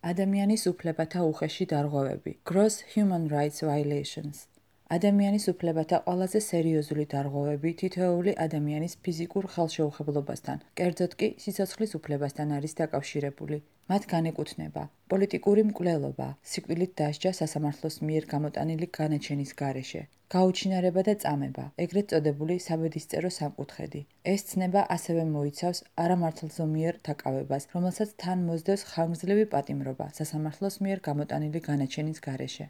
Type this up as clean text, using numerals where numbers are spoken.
ადამიანის უფლებათა უხეში დარღვევები, gross human rights violations. ადამიანის უფლებათა ყველაზე სერიოზული დარღვევები თითოეული ადამიანის ფიზიკურ ხელშეუხებლობასთან, კერძოდ კი სიცოცხლის უფლებასთან არის დაკავშირებული. მათ განეკუთვნება პოლიტიკური მკვლელობა, სიკვდილით დასჯა სასამართლოს მიერ გამოტანილი განაჩენის გარეშე, გაუჩინარება და წამება, ეგრეთ წოდებული საბედისწერო სამკუთხედი. ეს ცნება ასევე მოიცავს არამართლზომიერ დაკავებას, რომელსაც თან მოსდევს ხანგრძლივი პატიმრობა სასამართლოს მიერ გამოტანილი განაჩენის გარეშე.